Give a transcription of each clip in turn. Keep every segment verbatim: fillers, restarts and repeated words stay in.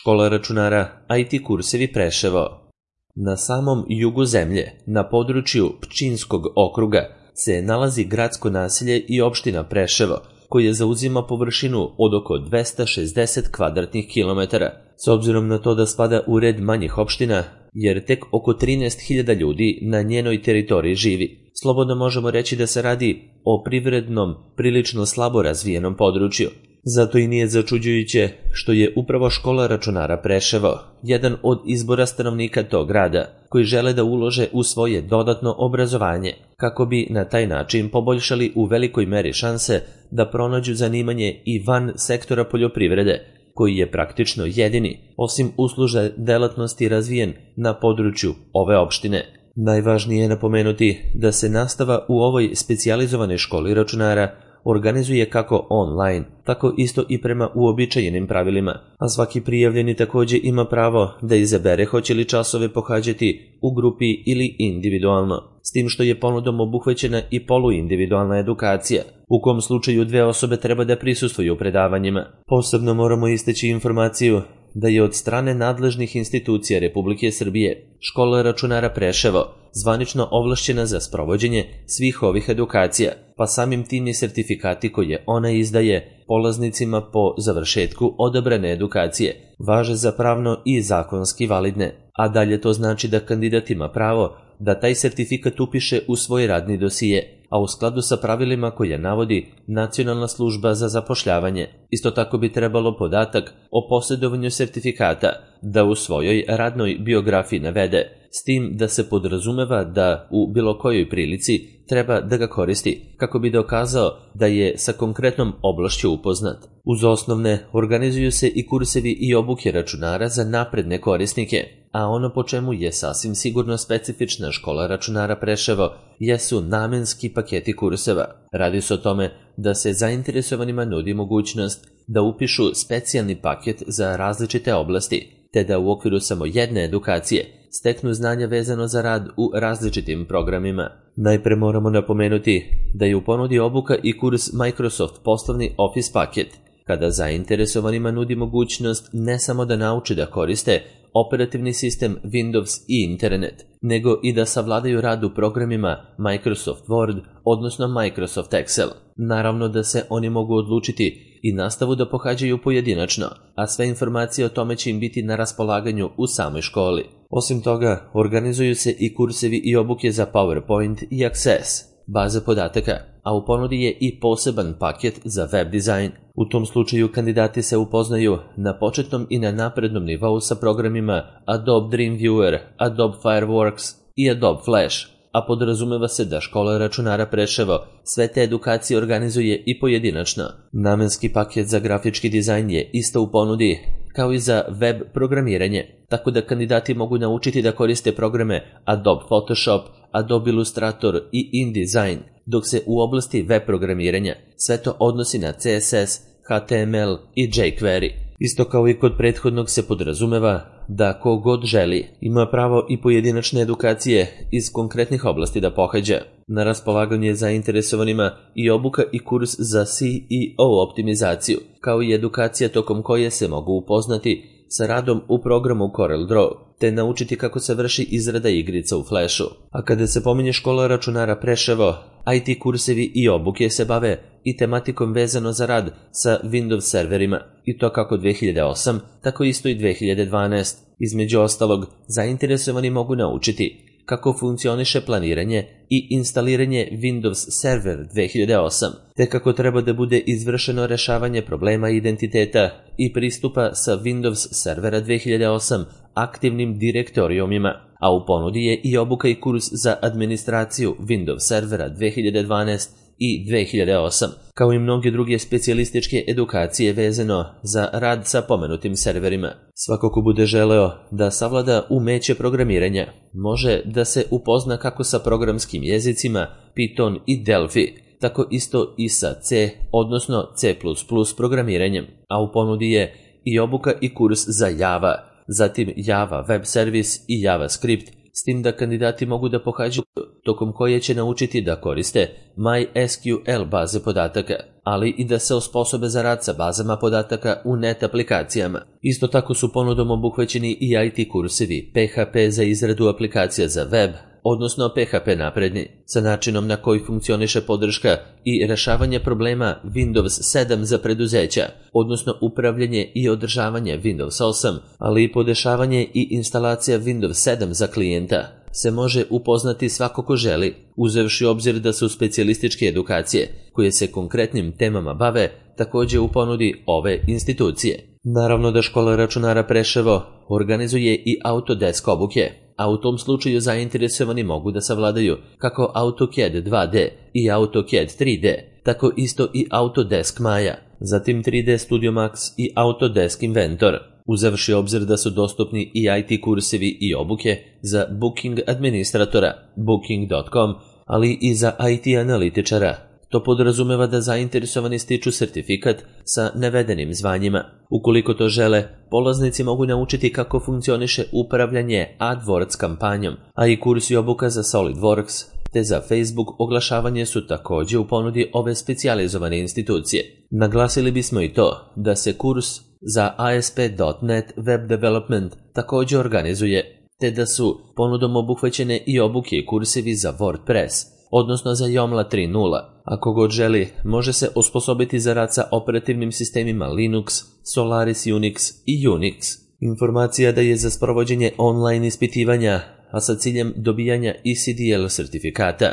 Škola računara I T kursevi Preševo. Na samom jugu zemlje, na području Pčinskog okruga, se nalazi gradsko naselje i opština Preševo, koje zauzima površinu od oko dvesta šezdeset kvadratnih kilometara. S obzirom na to da spada u red manjih opština, jer tek oko trinaest hiljada ljudi na njenoj teritoriji živi, slobodno možemo reći da se radi o privrednom, prilično slabo razvijenom području. Zato i nije začuđujuće što je upravo škola računara Preševo jedan od izbora stanovnika tog grada koji žele da ulože u svoje dodatno obrazovanje kako bi na taj način poboljšali u velikoj meri šanse da pronađu zanimanje i van sektora poljoprivrede, koji je praktično jedini, osim uslužne delatnosti, razvijen na području ove opštine. Najvažnije je napomenuti da se nastava u ovoj specijalizovanoj školi računara organizuje kako online, tako isto i prema uobičajenim pravilima, a svaki prijavljeni takođe ima pravo da izabere hoće li časove pohađati u grupi ili individualno, s tim što je ponudom obuhvaćena i poluindividualna edukacija, u kom slučaju dve osobe treba da prisustvuju predavanjima. Posebno moramo istaći informaciju da je od strane nadležnih institucija Republike Srbije škola računara Preševo zvanično ovlašćena za sprovođenje svih ovih edukacija, pa samim tim i sertifikati koje ona izdaje polaznicima po završetku odabrane edukacije važe za pravno i zakonski validne, a dalje to znači da kandidat ima pravo da taj sertifikat upiše u svoj radni dosije, a u skladu sa pravilima koje navodi Nacionalna služba za zapošljavanje. Isto tako bi trebalo podatak o posjedovanju sertifikata da u svojoj radnoj biografiji navede, s tim da se podrazumeva da u bilo kojoj prilici treba da ga koristi, kako bi dokazao da je sa konkretnom oblašću upoznat. Uz osnovne organizuju se i kursevi i obuke računara za napredne korisnike, a ono po čemu je sasvim sigurno specifična škola računara Preševo jesu namenski paketi kurseva. Radi se o tome da se zainteresovanima nudi mogućnost da upišu specijalni paket za različite oblasti, te da u okviru samo jedne edukacije steknu znanja vezano za rad u različitim programima. Najpre moramo napomenuti da je u ponudi obuka i kurs Microsoft poslovni Office paket, kada zainteresovanima nudi mogućnost ne samo da nauče da koriste operativni sistem Windows i internet, nego i da savladaju rad u programima Microsoft Word, odnosno Microsoft Excel. Naravno da se oni mogu odlučiti i nastavu da pohađaju pojedinačno, a sve informacije o tome će im biti na raspolaganju u samoj školi. Osim toga, organizuju se i kursevi i obuke za PowerPoint i Access, baze podataka, a u ponudi je i poseban paket za web dizajn. U tom slučaju kandidati se upoznaju na početnom i na naprednom nivou sa programima Adobe Dreamweaver, Adobe Fireworks i Adobe Flash, a podrazumeva se da škola računara Preševo sve te edukacije organizuje i pojedinačno. Namenski paket za grafički dizajn je isto u ponudi, kao i za web programiranje, tako da kandidati mogu naučiti da koriste programe Adobe Photoshop, Adobe Illustrator i InDesign, dok se u oblasti web programiranja sve to odnosi na C S S, H T M L i jQuery. Isto kao i kod prethodnog se podrazumeva da ko god želi ima pravo i pojedinačne edukacije iz konkretnih oblasti da pohađa. Na raspolaganju je zainteresovanima i obuka i kurs za C E O optimizaciju, kao i edukacija tokom koje se mogu upoznati sa radom u programu CorelDRAW, te naučiti kako se vrši izrada igrica u Flashu. A kada se pominje škola računara Preševo, I T kursevi i obuke se bave i tematikom vezano za rad sa Windows serverima, i to kako dve hiljade osam, tako isto i dve hiljade dvanaest. Između ostalog, zainteresovani mogu naučiti kako funkcioniše planiranje i instaliranje Windows Server dve hiljade osam, te kako treba da bude izvršeno rešavanje problema identiteta i pristupa sa Windows Servera dve hiljade osam aktivnim direktorijumima, a u ponudi je i obuka i kurs za administraciju Windows Servera dve hiljade dvanaest i dve hiljade osam, kao i mnoge druge specijalističke edukacije vezano za rad sa pomenutim serverima. Svako ko bude želeo da savlada umeće programiranja, može da se upozna kako sa programskim jezicima Python i Delphi, tako isto i sa C, odnosno C plus plus programiranjem, a u ponudi je i obuka i kurs za Java, zatim Java Web Service i JavaScript, s tim da kandidati mogu da pohađaju tokom koje će naučiti da koriste MySQL baze podataka, ali i da se osposobe za rad sa bazama podataka u net aplikacijama. Isto tako su ponudom obuhvaćeni i I T kursevi P H P za izradu aplikacija za web, odnosno P H P napredni, sa načinom na koji funkcioniše podrška i rešavanje problema Windows sedam za preduzeća, odnosno upravljanje i održavanje Windows osam, ali i podešavanje i instalacija Windows sedam za klijenta se može upoznati svako ko želi, uzevši obzir da su specijalističke edukacije, koje se konkretnim temama bave, takođe u ponudi ove institucije. Naravno da škola računara Preševo organizuje i Autodesk obuke, a u tom slučaju zainteresovani mogu da savladaju kako AutoCAD dva D i AutoCAD tri D, tako isto i Autodesk Maya, zatim tri D Studio Max i Autodesk Inventor, uzevši obzir da su dostupni i I T kursevi i obuke za booking administratora, booking dot com, ali i za I T analitičara. To podrazumeva da zainteresovani stiču sertifikat sa navedenim zvanjima. Ukoliko to žele, polaznici mogu naučiti kako funkcioniše upravljanje AdWords kampanjom, a i kurs i obuka za SolidWorks te za Facebook oglašavanje su takođe u ponudi ove specijalizovane institucije. Naglasili bismo i to da se kurs za A S P dot net Web Development takođe organizuje, te da su ponudom obuhvaćene i obuke i kursevi za WordPress, odnosno za Joomla tri nula. Ako god želi, može se osposobiti za rad sa operativnim sistemima Linux, Solaris Unix i Unix. Informacija da je za sprovođenje online ispitivanja, a sa ciljem dobijanja E C D L sertifikata,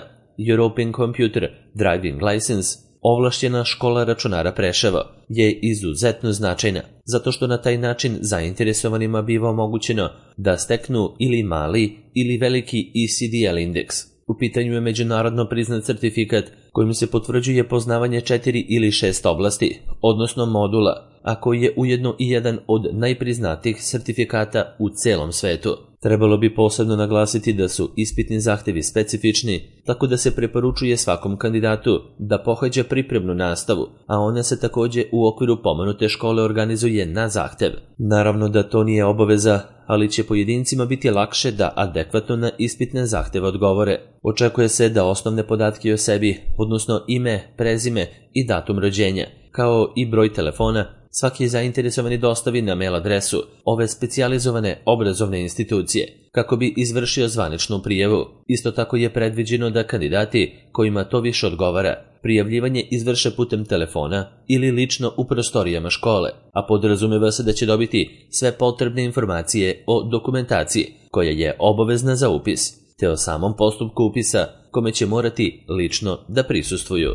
European Computer Driving License, ovlašćena škola računara Preševo je izuzetno značajna, zato što na taj način zainteresovanima biva omogućeno da steknu ili mali ili veliki E C D L indeks. U pitanju je međunarodno priznat sertifikat kojim se potvrđuje poznavanje četiri ili šest oblasti, odnosno modula, a koji je ujedno i jedan od najpriznatijih sertifikata u celom svetu. Trebalo bi posebno naglasiti da su ispitni zahtevi specifični, tako da se preporučuje svakom kandidatu da pohađa pripremnu nastavu, a ona se takođe u okviru pomenute škole organizuje na zahtev. Naravno da to nije obaveza, ali će pojedincima biti lakše da adekvatno na ispitne zahteve odgovore. Očekuje se da osnovne podatke o sebi, odnosno ime, prezime i datum rođenja, kao i broj telefona, svaki zainteresovani dostavi na mail adresu ove specijalizovane obrazovne institucije, kako bi izvršio zvaničnu prijavu. Isto tako je predviđeno da kandidati kojima to više odgovara, prijavljivanje izvrše putem telefona ili lično u prostorijama škole, a podrazumeva se da će dobiti sve potrebne informacije o dokumentaciji koja je obavezna za upis, te o samom postupku upisa kome će morati lično da prisustvuju.